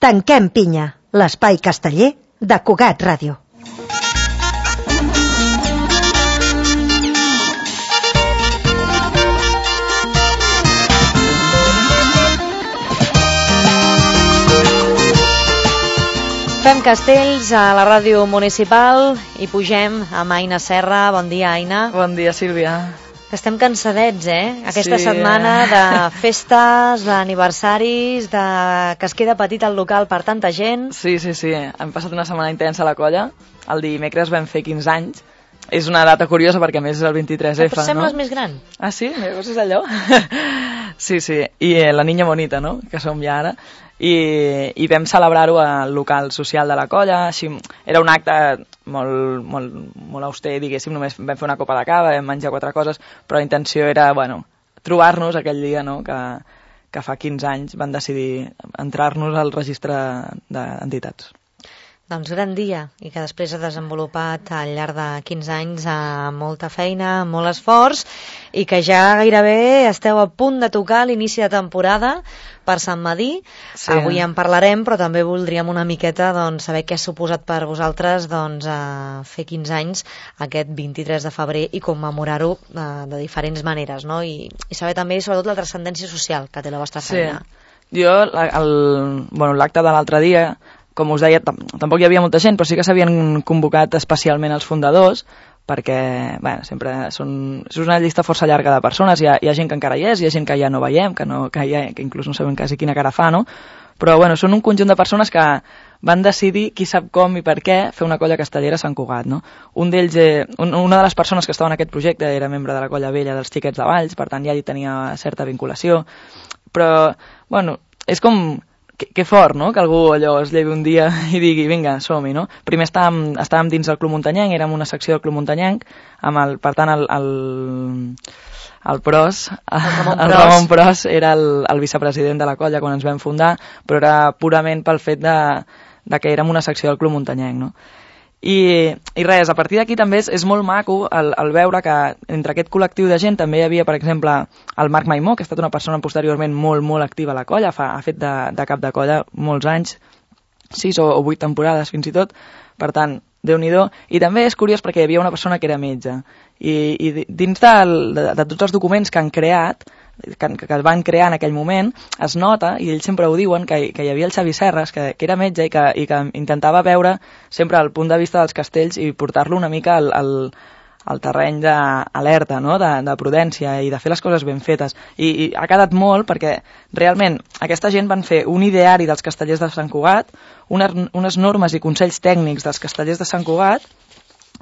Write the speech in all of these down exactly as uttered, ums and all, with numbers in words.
Tanquem pinya, l'espai casteller de Cugat Ràdio. Fem castells a la ràdio municipal i pugem amb Aina Serra. Bon dia, Aina. Bon dia, Sílvia. Estem cansadets, eh? Aquesta sí. setmana de festes, d'aniversaris, de... que es queda petit el local per tanta gent. Sí, sí, sí. Hem passat una setmana intensa a la colla. El dimecres vam fer quinze anys. És una data curiosa perquè a més és el vint-i-tres efa, no? Però sembles no? més gran. Ah, sí? Llavors és allò? Sí, sí. I eh, la niña bonita, no? Que som ja ara. I, i vam celebrar-ho al local social de la colla. Així, era un acte molt, molt, molt auster, diguéssim. Només vam fer una copa de cava, vam menjar quatre coses, però la intenció era, bueno, trobar-nos aquell dia, no?, que, que fa quinze anys van decidir entrar-nos al registre d'entitats. Doncs gran dia, i que després ha desenvolupat al llarg de quinze anys amb molta feina, amb molt esforç, i que ja gairebé esteu a punt de tocar l'inici de temporada per Sant Medir. Sí. Avui en parlarem, però també voldríem una miqueta doncs, saber què ha suposat per vosaltres doncs, a fer quinze anys aquest vint-i-tres de febrer i commemorar-ho de, de diferents maneres, no? I, i saber també sobretot la transcendència social que té la vostra feina. Sí. Jo, el, bueno, l'acte de l'altre dia, com us deia, tampoc hi havia molta gent, però sí que s'havien convocat especialment els fundadors, perquè, bueno, sempre són, és una llista força llarga de persones, hi ha, hi ha gent que encara hi és, hi ha gent que ja no veiem, que, no, que, ja, que inclús no sabem quasi quina cara fa, no? Però, bueno, són un conjunt de persones que van decidir, qui sap com i per què, fer una colla castellera a Sant Cugat, no? Un d'ells, eh, un, una de les persones que estava en aquest projecte era membre de la colla vella dels Xiquets de Valls, per tant ja hi tenia certa vinculació, però, bueno, és com... Que, que fort, no?, que algú allò es llevi un dia i digui, vinga, som-hi, no? Primer estàvem, estàvem dins del Club Muntanyenc, érem una secció del Club Muntanyenc, amb el, per tant, el, el, el Pros, el Ramon, el Ramon Pros era el, el vicepresident de la colla quan ens vam fundar, però era purament pel fet de, de que érem una secció del Club Muntanyenc, no? I, i res, a partir d'aquí també és, és molt maco el, el veure que entre aquest col·lectiu de gent també hi havia, per exemple, el Marc Maimó, que ha estat una persona posteriorment molt, molt activa a la colla, fa, ha fet de, de cap de colla molts anys, sis o, o vuit temporades fins i tot, per tant, Déu-n'hi-do. I també és curiós perquè hi havia una persona que era metge, i, i dins del, de, de tots els documents que han creat, que, que es van crear en aquell moment, es nota, i ells sempre ho diuen, que, que hi havia el Xavi Serres, que, que era metge i que, i que intentava veure sempre el punt de vista dels castells i portar-lo una mica al, al, al terreny d'alerta, no?, de, de prudència i de fer les coses ben fetes. I, i ha quedat molt perquè realment aquesta gent van fer un ideari dels castellers de Sant Cugat, unes, unes normes i consells tècnics dels castellers de Sant Cugat,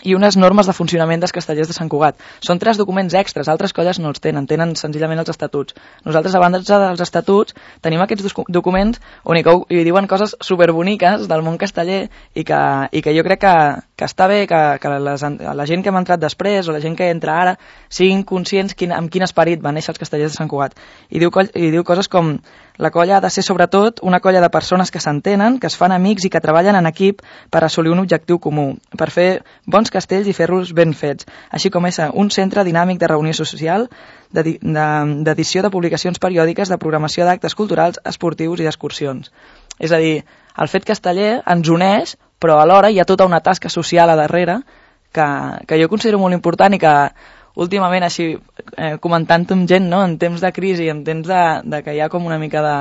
i unes normes de funcionament dels castellers de Sant Cugat. Són tres documents extras, altres colles no els tenen, tenen senzillament els estatuts. Nosaltres, a banda dels estatuts, tenim aquests documents on hi, hi diuen coses superboniques del món casteller i que, i que jo crec que, que està bé que, que les, la gent que hem entrat després o la gent que entra ara siguin conscients quin, amb quin esperit van néixer els castellers de Sant Cugat. I diu, i diu coses com: la colla ha de ser sobretot una colla de persones que s'entenen, que es fan amics i que treballen en equip per assolir un objectiu comú, per fer bons castells i fer-los ben fets, així com és un centre dinàmic de reunió social, d'edició de publicacions periòdiques, de programació d'actes culturals, esportius i d'excursions. És a dir, el fet casteller ens uneix, però alhora hi ha tota una tasca social a darrere que, que jo considero molt important i que últimament, així, eh, comentant amb gent, no?, en temps de crisi, en temps de, de que hi ha com una mica de...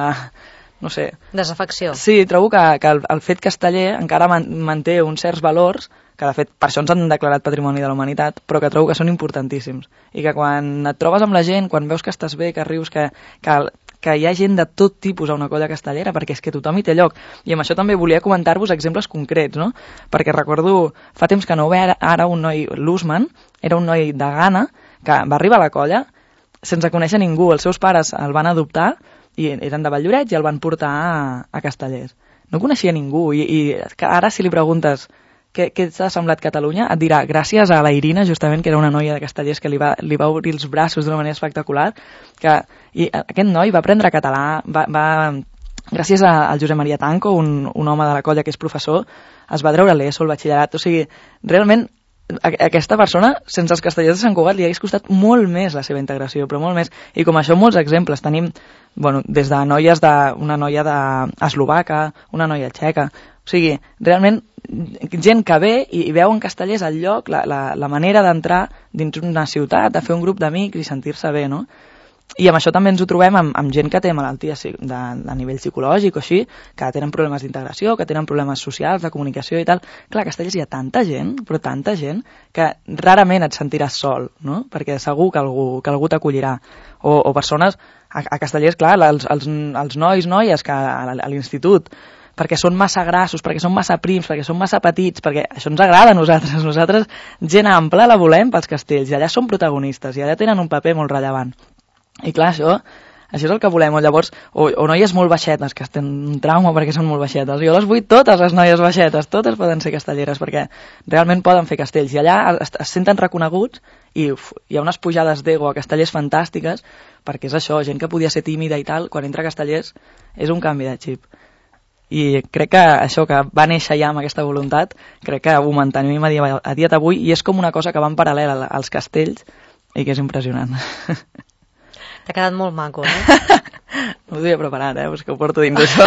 no sé... desafecció. Sí, trobo que, que el, el fet casteller encara man, manté uns certs valors que de fet per això ens han declarat Patrimoni de la Humanitat, però que trobo que són importantíssims. I que quan et trobes amb la gent, quan veus que estàs bé, que rius, que, que, que hi ha gent de tot tipus a una colla castellera, perquè és que tothom hi té lloc. I amb això també volia comentar-vos exemples concrets, no? Perquè recordo, fa temps que no ho ve ara, ara un noi, l'Usman, era un noi de Ghana, que va arribar a la colla sense conèixer ningú. Els seus pares el van adoptar, i eren de Valldoreix, i el van portar a, a Castellers. No coneixia ningú, i, i ara si li preguntes què, què t'ha semblat Catalunya, et dirà gràcies a la Irina, justament, que era una noia de Castellers que li va, li va obrir els braços d'una manera espectacular, que i aquest noi va aprendre català, va, va gràcies a, al Josep Maria Tanco, un, un home de la colla que és professor, es va treure l'ESO, el batxillerat, o sigui, realment aquesta persona, sense els Castellers de Sant Cugat, li hagués costat molt més la seva integració, però molt més. I com això molts exemples. Tenim, bueno, des de noies de, una noia d'eslovaca, una noia txeca. O sigui, realment, gent que ve i, i veu en Castellers el lloc, la, la, la manera d'entrar dins una ciutat, de fer un grup d'amics i sentir-se bé, no? I amb això també ens ho trobem amb, amb gent que té malalties de, de nivell psicològic o així, que tenen problemes d'integració, que tenen problemes socials, de comunicació i tal. Clar, a Castellers hi ha tanta gent, però tanta gent, que rarament et sentiràs sol, no? Perquè segur que algú, que algú t'acollirà. O, o persones, a, a Castellers, clar, els, els, els nois, noies que a, a l'institut, perquè són massa grassos, perquè són massa prims, perquè són massa petits, perquè això ens agrada a nosaltres. Nosaltres, gent ampla, la volem pels castells, i allà són protagonistes, i allà tenen un paper molt rellevant. I clar, això, això és el que volem. O llavors, o, o noies molt baixetes, que tenen un trauma perquè són molt baixetes. Jo les vull totes, les noies baixetes, totes poden ser castelleres, perquè realment poden fer castells. I allà es, es senten reconeguts i uf, hi ha unes pujades d'ego a castellers fantàstiques, perquè és això, gent que podia ser tímida i tal, quan entra a castellers és un canvi de xip. I crec que això que va néixer ja amb aquesta voluntat, crec que ho mantenim a dia, a dia d'avui, i és com una cosa que va en paral·lel als castells i que és impressionant. T'ha quedat molt maco, eh? No ho havia preparat, eh? Pues que ho porto dins d'això.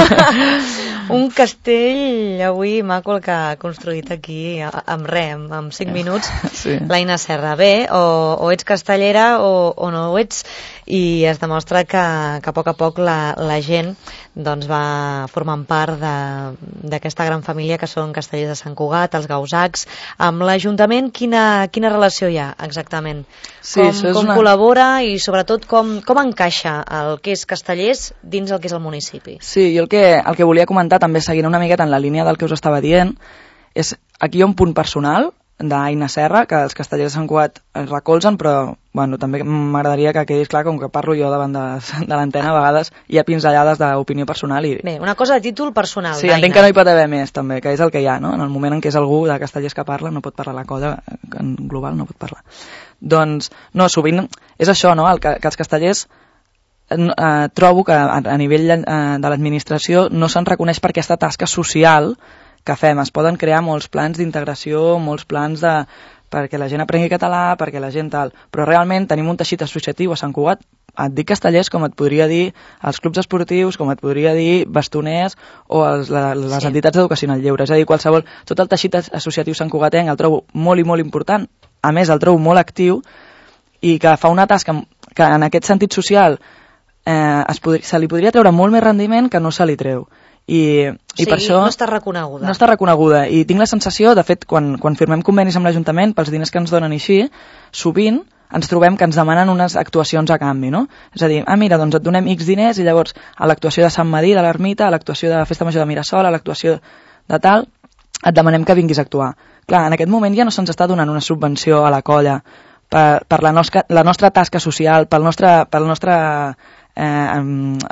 Un castell avui maco el que ha construït aquí amb res, amb, amb cinc minuts, sí. L'Aina Serra. Bé, o, o ets castellera o, o no ho ets, i es demostra que, que a poc a poc la, la gent doncs, va formant part d'aquesta gran família que són Castellers de Sant Cugat, els Gausacs. Amb l'Ajuntament, quina, quina relació hi ha exactament? Sí, com com una... col·labora i sobretot com, com encaixa el que és Castellers dins el que és el municipi? Sí, jo el que, el que volia comentar també seguint una miqueta en la línia del que us estava dient és, aquí hi ha un punt personal d'Aina Serra, que els Castellers de Sant Cugat es recolzen, però bueno, també m'agradaria que quedés clar, com que parlo jo davant de, de l'antena, a vegades hi ha pinzellades d'opinió personal. I... Bé, una cosa de títol personal, sí, entenc que no hi pot haver més, també, que és el que hi ha, no? En el moment en què és algú de Castellers que parla, no pot parlar la colla, en global no pot parlar. Doncs, no, sovint és això, no?, el que, que els castellers eh, trobo que a, a nivell eh, de l'administració no se'n reconeix per aquesta tasca social que fem. Es poden crear molts plans d'integració, molts plans de perquè la gent aprengui català, perquè la gent tal, però realment tenim un teixit associatiu a Sant Cugat, et dic castellers com et podria dir els clubs esportius, com et podria dir bastoners o els, la, les sí. entitats d'educació en el lleure, és a dir, qualsevol, tot el teixit associatiu santcugatenc el trobo molt i molt important, a més el trobo molt actiu i que fa una tasca que en aquest sentit social eh, es podri, se li podria treure molt més rendiment que no se li treu. I, i sí, per això no està reconeguda. No està reconeguda. I tinc la sensació, de fet, quan, quan firmem convenis amb l'Ajuntament pels diners que ens donen així, sovint ens trobem que ens demanen unes actuacions a canvi, no? És a dir, ah, mira, doncs et donem X diners i llavors a l'actuació de Sant Madí, de l'Ermita, a l'actuació de la Festa Major de Mirasol, a l'actuació de tal, et demanem que vinguis a actuar. Clar, en aquest moment ja no se'ns està donant una subvenció a la colla per, per la, nostra, la nostra tasca social, pel nostre... Pel nostre Eh,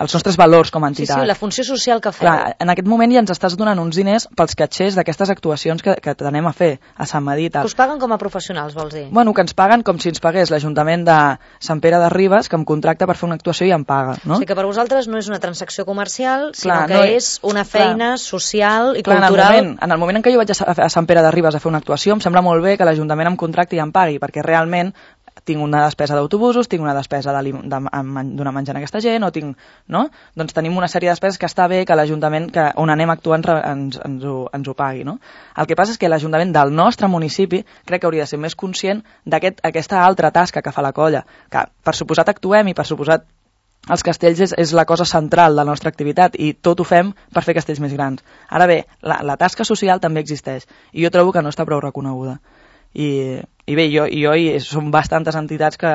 els nostres valors com a entitat. Sí, sí, la funció social que feu. Clar, en aquest moment ja ens estàs donant uns diners pels catxers d'aquestes actuacions que, que t'anem a fer a Sant Madí i tal. Que us paguen com a professionals, vols dir? Bueno, que ens paguen com si ens pagués l'Ajuntament de Sant Pere de Ribes, que em contracta per fer una actuació i em paga, no? O sigui que per vosaltres no és una transacció comercial, sinó clar, que no, és una feina clar, social i clar, cultural. En el, moment, en el moment en què jo vaig a, a Sant Pere de Ribes a fer una actuació, em sembla molt bé que l'Ajuntament em contracti i em pagui, perquè realment tinc una despesa d'autobusos, tinc una despesa de, de, de donar menjar a aquesta gent, o tinc, no? Doncs tenim una sèrie de despeses que està bé que l'Ajuntament que on anem actuant ens, ens, ho, ens ho pagui, no? El que passa és que l'Ajuntament del nostre municipi crec que hauria de ser més conscient d'aquesta aquest, altra tasca que fa la colla, que per suposat actuem i per suposat els castells és, és la cosa central de la nostra activitat i tot ho fem per fer castells més grans. Ara bé, la, la tasca social també existeix i jo trobo que no està prou reconeguda. I, i bé, jo, jo i són bastantes entitats que,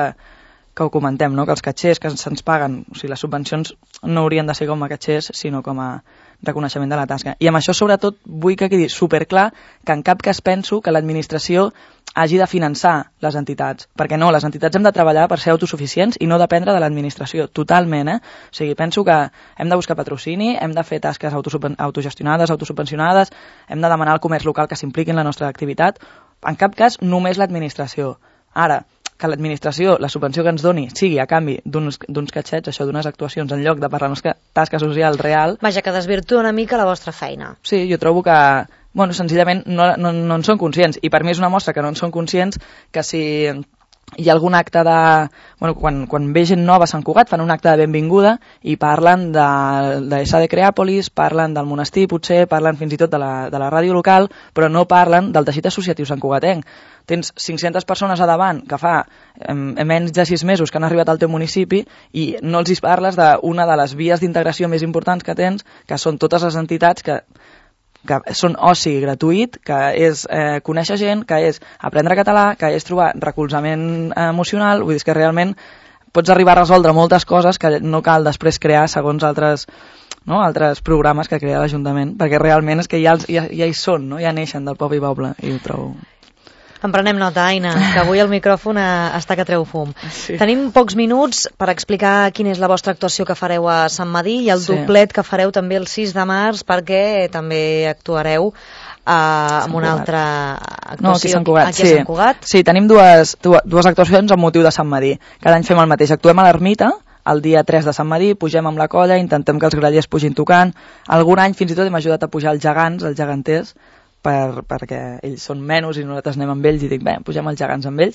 que ho comentem, no? Que els catxers que se'ns paguen, o sigui, les subvencions no haurien de ser com a catxers, sinó com a reconeixement de la tasca. I amb això, sobretot, vull que quedi superclar que en cap cas penso que l'administració hagi de finançar les entitats, perquè no, les entitats hem de treballar per ser autosuficients i no dependre de l'administració, totalment, eh? O sigui, penso que hem de buscar patrocini, hem de fer tasques autogestionades, autosubvencionades, hem de demanar al comerç local que s'impliqui en la nostra activitat, en cap cas només l'administració. Ara, que l'administració, la subvenció que ens doni, sigui a canvi d'uns catxets, això d'unes actuacions, en lloc de per la nostra tasca social real... Vaja, que desvirtua una mica la vostra feina. Sí, jo trobo que, bueno, senzillament no, no, no en són conscients, i per mi és una mostra que no en són conscients, que si hi ha algun acte de... Bueno, quan, quan ve gent nova a Sant Cugat fan un acte de benvinguda i parlen de, de S A de Creàpolis, parlen del monestir potser, parlen fins i tot de la, de la ràdio local, però no parlen del teixit associatiu santcugatenc. Tens cinc-centes persones a davant que fa eh, menys de sis mesos que han arribat al teu municipi i no els hi parles d'una de les vies d'integració més importants que tens, que són totes les entitats que que són oci gratuït, que és eh, conèixer gent, que és aprendre català, que és trobar recolzament emocional, vull dir que realment pots arribar a resoldre moltes coses que no cal després crear segons altres, no, altres programes que crea l'Ajuntament, perquè realment és que ja, ja, ja hi són, no? Ja neixen del poble i poble, i ho trobo... En prenem nota, Aina, que avui el micròfon està que treu fum. Sí. Tenim pocs minuts per explicar quina és la vostra actuació que fareu a Sant Madí i el sí. doblet que fareu també el sis de març, perquè també actuareu uh, amb una altra actuació no, aquí, a Sant Cugat. aquí a Sant Cugat. Sí, sí, tenim dues, dues actuacions amb motiu de Sant Madí. Cada any fem el mateix. Actuem a l'Ermita, el dia tres de Sant Madí, pugem amb la colla, intentem que els grallers pugin tocant. Algun any fins i tot hem ajudat a pujar els gegants, els geganters, Per, perquè ells són menys i nosaltres anem amb ells i dic, bé, pugem els gegants amb ells.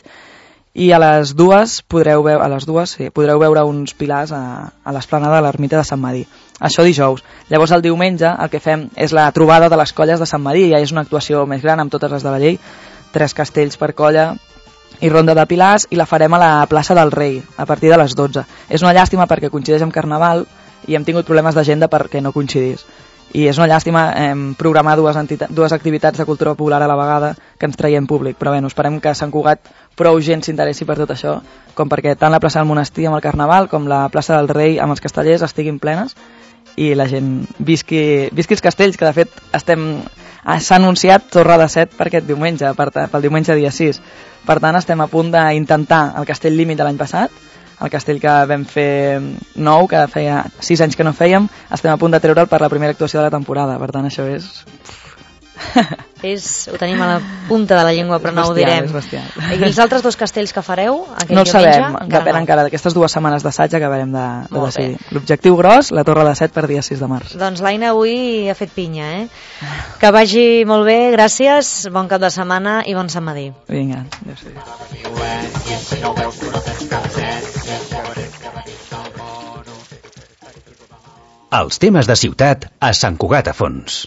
I a les dues podreu veure, a les dues, sí, podreu veure uns pilars a, a l'esplanada de l'Ermita de Sant Madí. Això dijous. Llavors el diumenge el que fem és la trobada de les colles de Sant Madí, ja és una actuació més gran amb totes les de la llei, tres castells per colla i ronda de pilars, i la farem a la plaça del Rei a partir de les dotze. És una llàstima perquè coincideix amb Carnaval i hem tingut problemes d'agenda perquè no coincidís. I és una llàstima eh, programar dues, dues activitats de cultura popular a la vegada que ens traiem públic, però bé, esperem que Sant Cugat prou gent s'interessi per tot això, com perquè tant la plaça del Monestir amb el Carnaval com la plaça del Rei amb els castellers estiguin plenes i la gent visqui, visqui els castells, que de fet estem s'ha anunciat Torre de Set per aquest diumenge, per, pel diumenge dia sis. Per tant, estem a punt d'intentar el castell límit de l'any passat, el castell que vam fer nou, que feia sis anys que no fèiem, estem a punt de treure'l per la primera actuació de la temporada. Per tant, això és... és ho tenim a la punta de la llengua, però és no bestial, ho direm. És bestial. I els altres dos castells que fareu aquell no ho diumenge? Sabem, depèn no. encara d'aquestes dues setmanes d'assaig acabarem de, de decidir. L'objectiu gros, la Torre de Set per dia sis de març. Doncs l'Aina avui ha fet pinya, eh? Que vagi molt bé, gràcies, bon cap de setmana i bon Sant Madí. Vinga, adéu-siau. Els temes de ciutat a Sant Cugat a Fons.